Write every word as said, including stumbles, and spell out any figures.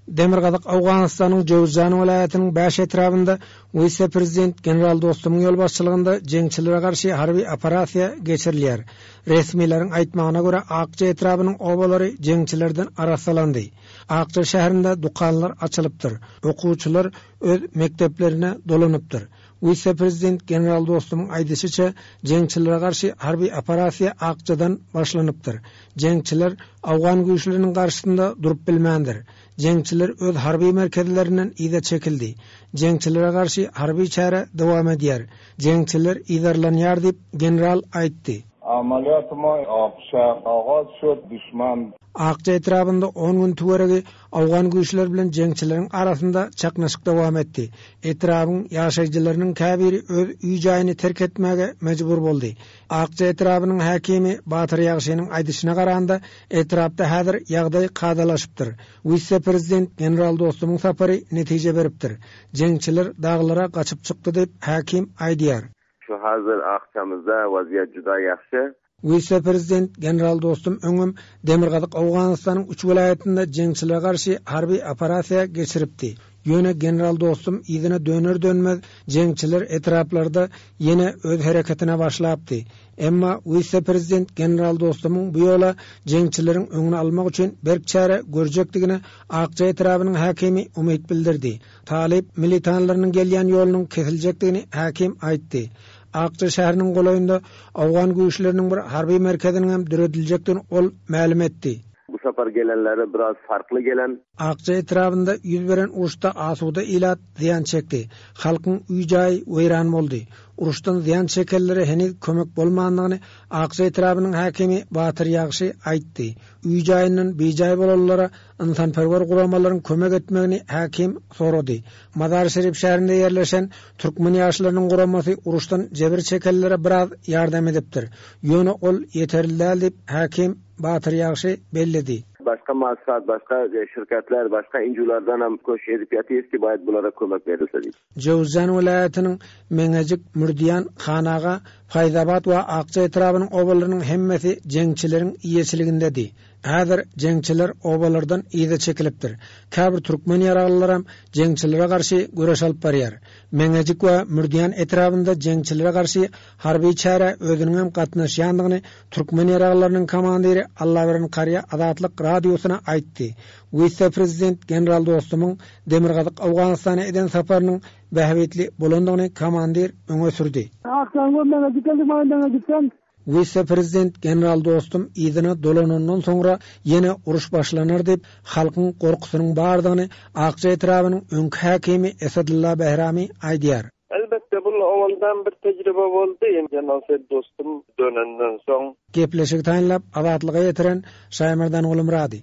Demirgazyk Owganystanyň Jöwüzjan welaýatynyň bäş etrabynda wise-prezident general Dostumyň ýolbaşçylygynda jeňçilere garşy harby operasiýa geçirilýär. Resmileriň aýtmagyna görä, Akja etrabynyň obalary jeňçilerden arassalandy. Akja şäherinde dükanlar açylypdyr. Okuwçylar öz mekdeplerine dolanypdyr. Wise-prezident general Dostumyň aýdyşyça, jeňçilere garşy harby operasiýa Akjadan başlanypdyr. Jeňçiler owgan güýçleriniň garşysynda durup bilmändir. Jeňçiler öz harby merkezlerinden yza çekildi. Jeňçilere garşy harby çäre dowam edýär. Jeňçiler yzarlanýar diýip, general aýtdy. عملیات ما آقچه آغاز شد دشمن Akja etrabynda on gün töweregi owgan güýçleri bilen jeňçileriň arasynda çaknyşyk dowam etdi. Etrabyň ýaşaýjylarynyň käbiri öz öý-jaýyny terk etmäge mejbur boldy. Akja etrabynyň häkimi Batyr Ýagşynyň aýdyşyna garanda, etrapda häzir ýagdaý kadalaşypdyr. Wise-prezident general Dostumyň sapary netije beripdir. Jeňçiler daglara gaçyp çykdy diýip, häkim aýdýar. Şu hazır Akçamızda vaziyet juda ýagşy. Wise-prezident general Dostum öňem Demirgazyk Owganystanyň üç welaýatynda jeňçilere garşy harby operasiýa geçiripdi. Ýöne general Dostum yzyna döner-dönmez jeňçiler etraplarda ýene öz hereketine başlapdy. Emma wise-prezident general Dostumyň bu ýola jeňçileriň öňüni almak üçin berk çäre görjekdigine Akja etrabynyň häkimi umyt bildirdi. Talyp militanlarynyň gelýän ýolunyň kesiljekdigini häkim aýtdy. Akja şäheriniň golaýynda owgan güýçleriniň bir harby merkeziniň hem dörediljekdigini ol mälim etdi. Bu sapar gelenleri biraz farkly gelen. Akja etrabynda ýüz beren uruşda asuda ilat zyýan çekdi. Halkyň öý-jaýy weýran boldy. Uruşdan zyýan çekenlere heniz kömek bolmandygyny Akja etrabynyň häkimi Batyr Ýagşy aýtdy. Öý-jaýyndan bijaý bolanlara ynsanperwer guramalaryň kömek etmegini häkim sorady. Mazar-Şerif şäherinde ýerleşen türkmen ýaşlarynyň guramasy uruşdan jebir çekenlere biraz ýardam edipdir. Ýöne ol ýeterli däl diýip, häkim Batyr Ýagşy belledi. Başga maksat, başga şirketler, başga N G O'lardan hem köşk edip ýatyrys ki baýat bulara kömek berilse diýip. Jöwüzjan welaýatynyň Meňejik, Mürdiýan, Hanaga, Faýzabat we Akja etrabynyň obalarynyň hemmesi jeňçileriň eýeçiligindedi. Häzir jeňçiler obalardan yza çekilipdir. Käbir türkmen ýaraglylaram jeňçilere garşy göreş alyp barýar. Meňejik we Mürdiýan etrabynda jeňçilere garşy harby çäre özüniň hem gatnaşýandygyny türkmen ýaraglylarynyň komandiri Allaberen Karýa Azatlyk radiosyna aýtdy. Wise-prezident general Dostumyň Demirgazyk Owganystana eden saparynyň bähbitli bolandygyny komandir öňe sürdi. Akjaň Meňejik geldi, Meňejikden. Wise-prezident general Dostum yzyna dolanandan soňra ýene uruş başlanar diýip, halkyň gorkusynyň bardygyny Akja etrabynyň öňki häkimi Esadulla Behrami aýdýar. Elbetde bu owaldan bir tejribe boldy. General Dostum dönenden soň Gepleşik taýynlap Azatlyga ýetiren Şaýmerdan Gulumrady.